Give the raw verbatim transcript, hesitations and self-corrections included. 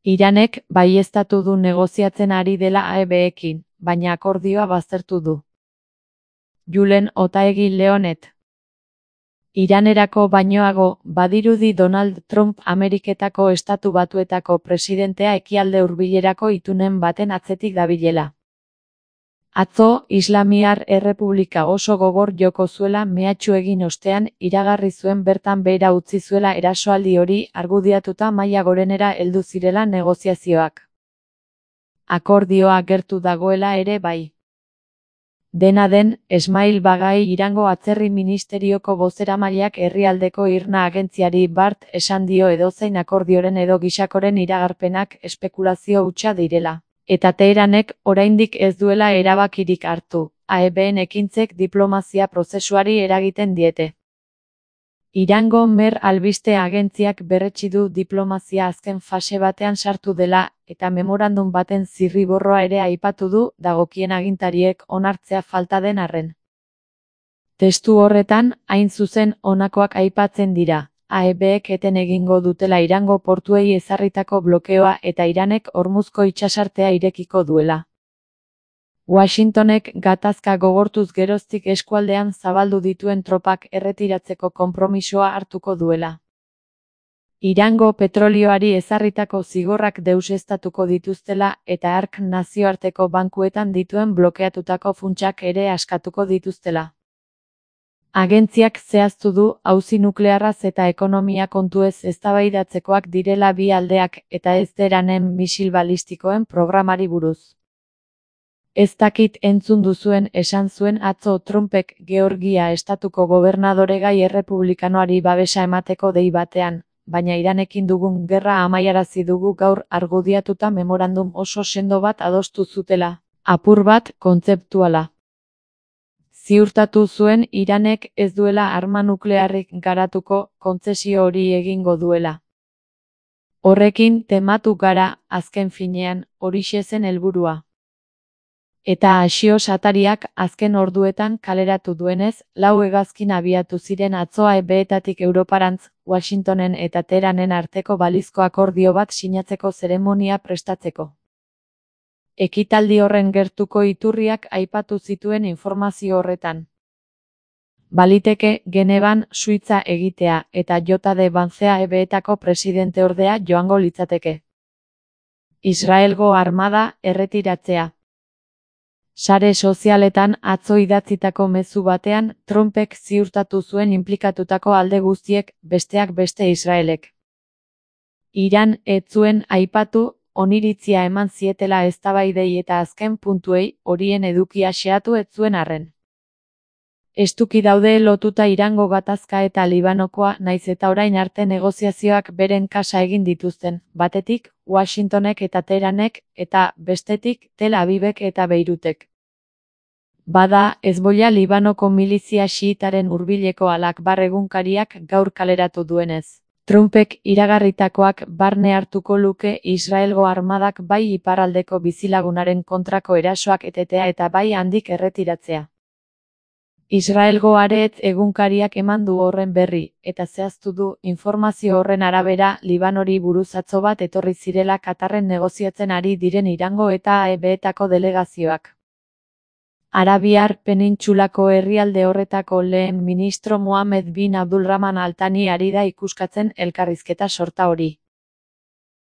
Iranek baieztatu du negoziatzen ari dela A E B-ekin, baina akordioa baztertu du. Julen Otaegi Leonet. Iranerako bainoago, badirudi Donald Trump Ameriketako Estatu Batuetako presidentea ekialde hurbilerako itunen baten atzetik dabilela. Atzo, Islamiar Errepublika oso gogor joko zuela mehatxu egin ostean, iragarri zuen bertan behera utzi zuela erasoaldi hori argudiatuta maila gorenera heldu zirela negoziazioak. Akordioa gertu dagoela ere bai. Dena den, Esmail Bagai Irango Atzerri Ministerioko bozeramaileak herrialdeko Irna agentziari bart esan dio edozein akordioren edo gisakoren iragarpenak espekulazio hutsa direla. Eta Teheranek oraindik ez duela erabakirik hartu, A E B-en ekintzek diplomazia prozesuari eragiten diete. Irango Mer albiste agentziak berretsi du diplomazia azken fase batean sartu dela, eta memorandum baten zirriborroa ere aipatu du, dagokien agintariek onartzea falta den arren. Testu horretan, hain zuzen honakoak aipatzen dira. A E B-ek eten egingo dutela Irango portuei ezarritako blokeoa eta Iranek Hormuzko itsasartea irekiko duela. Washingtonek gatazka gogortuz geroztik eskualdean zabaldu dituen tropak erretiratzeko konpromisoa hartuko duela. Irango petrolioari ezarritako zigorrak deuseztatuko dituztela eta hark nazioarteko bankuetan dituen blokeatutako funtsak ere askatuko dituztela. Agentziak zehaztu du auzi nuklearraz eta ekonomia kontuez eztabaidatzekoak direla bi aldeak eta ez Teheranen misil balistikoen programari buruz. Ez dakit entzun duzuen esan zuen atzo Trumpek Georgia estatuko gobernadoregai errepublikanoari babesa emateko dei batean, baina Iranekin dugun gerra amaiarazi dugu gaur argudiatuta memorandum oso sendo bat adostu zutela, apur bat kontzeptuala. Ziurtatu zuen Iranek ez duela arma nuklearrik garatuko, kontzesio hori egingo duela. Horrekin tematu gara, azken finean, horixe zen helburua. Eta Axios atariak azken orduetan kaleratu duenez, lau hegazkin abiatu ziren atzo A E B-etatik Europarantz, Washingtonen eta Teheranen arteko balizko akordio bat sinatzeko zeremonia prestatzeko. Ekitaldi horren gertuko iturriak aipatu zituen informazio horretan. Baliteke Genevan Suitza egitea eta J D Vance A E B-etako presidenteordea joango litzateke. Israelgo armada erretiratzea. Sare sozialetan atzo idatzitako mezu batean, Trumpek ziurtatu zuen inplikatutako alde guztiek, besteak beste Israelek. Iran ez zuen aipatu, oniritzia eman zietela eztabaidei eta azken puntuei, horien edukia xeatu ez zuen arren. Estuki daude lotuta Irango gatazka eta Libanokoa naiz eta orain arte negoziazioak beren kasa egin dituzten, batetik, Washingtonek eta Teheranek, eta, bestetik, Tel Avivek eta Beirutek. Bada, Hezbollah Libanoko milizia xiitaren hurbileko Al-Akbar egunkariak gaur kaleratu duenez. Trumpek iragarritakoak barne hartuko luke Israelgo armadak bai iparraldeko bizilagunaren kontrako erasoak etetea eta bai handik erretiratzea. Israelgo Haaretz egunkariak eman du horren berri, eta zehaztu du, informazio horren arabera, Libanori buruz atzo bat etorri zirela Katarren negoziatzen ari diren Irango eta A E B-etako delegazioak. Arabiar penintsulako herrialde horretako lehen ministro Mohammed bin Abdulrahman Al Thani ari da ikuskatzen elkarrizketa sorta hori.